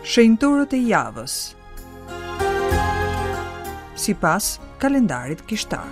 Shenjtorët e javës. Sipas kalendarit kishtar.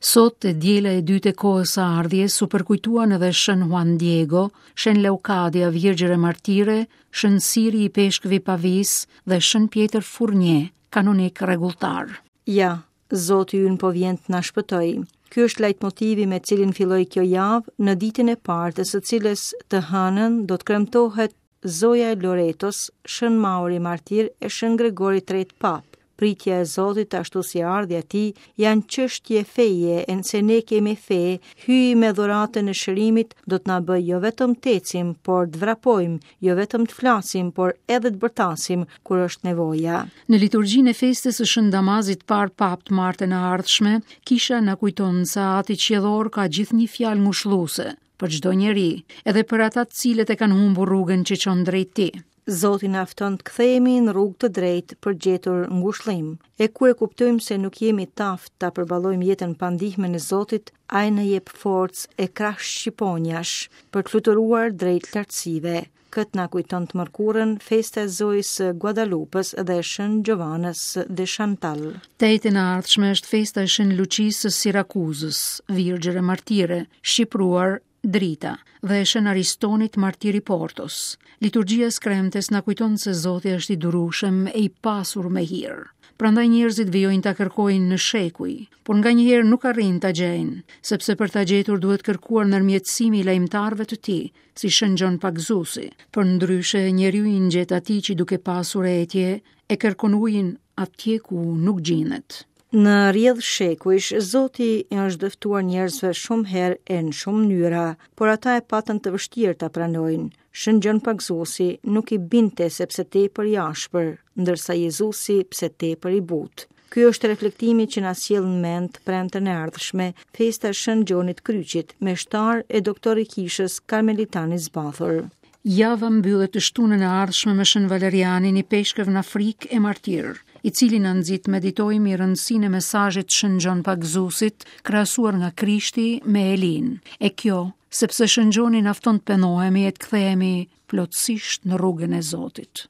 Sot e diela e dytë e kohës së ardhjes u përkujtuan edhe Shën Juan Diego, Shën Leukadia Virgjër e Martire, Shën Siri Ipeshkëv i Pavisë dhe Shën Pjetër Furnje, kanonik rregulltar. Ja, Zoti ynë po vjen të na shpëtojë. Ky është lajtmotivi me cilin filloi kjo javë, në ditën e parë të së cilës të hënën do të kremtohet Zoja e Loretos, Shën Mauri Martir e Shën Gregori i Tretë Papë. Pritja e Zotit ashtu si ardhja e tij janë çështje feje e nëse ne kemi fe, Hyji me dhuratën e shërimit do të na bëjë jo vetëm të ecim, por të vrapojmë, jo vetëm të flasim, por edhe të bërtasim kur është nevoja. Në liturgjinë e festës së Shën Damazit të parë Papë të martën e ardhshme, kisha na kujton se Ati Qiellor ka gjithnjë fjalë ngushëlluese për çdo njeri, edhe për ata të cilët e kanë humbur rrugën që çon drejt tij. Zoti na fton të kthehemi në rrugë të drejtë për gjetur ngushëllim. E kur e kuptojmë se nuk jemi të aftë ta përballojmë jetën pa ndihmën e Zotit, ai na jep forcë e krah shqiponjash për të fluturuar drejt lartësive. Këtë na kujton të mërkurën festa e Zojës së Guadalupës dhe Shën Xhovanës de Chantal. Të enjten e ardhshme është festa e Shën Luçisë së Sirakuzës, virgjër e martire, shqipëruar Drita, dhe e Shën Aristonit martir i Portos. Liturgjia e së kremtes na kujton se Zoti është i durueshëm e i pasur me hir. Prandaj njerëzit vijojnë ta kërkojnë në shekuj, por nganjëherë nuk arrijnë ta gjejnë, sepse për ta gjetur duhet kërkuar ndërmjetësimi i lajmëtarëve të tij, si Shën Gjon Pagëzuesi. Përndryshe, njeriu i ngjet atij që duke pasur etje, e kërkon ujin atje ku nuk gjindet. Në rrjedhë shekujsh, Zoti i është dëftuar njerëzve shumë herë e në shumë mënyra, por ata e patën të vështirë ta pranojnë. Shën Gjon Pagëzuesi nuk i bindte sepse tepër i ashpër, ndërsa Jezusi pse tepër i butë. Ky është reflektimi që na sjell në mend të premten e ardhshme, festa e Shën Gjonit Kryqit, meshtar e doktor i kishës karmelitan i zbathur. Java mbyllet të shtunën e ardhshme me Shën Valerianin, ipeshkëv në Afrikë e martir, i cili na nxit të meditojmë mbi rëndësinë e mesazhit të Shën Gjon Pagëzuesit, krahasuar nga Krishti me Elinë. E kjo, sepse Shën Gjoni na fton të pendohemi e të kthehemi plotësisht në rrugën e Zotit.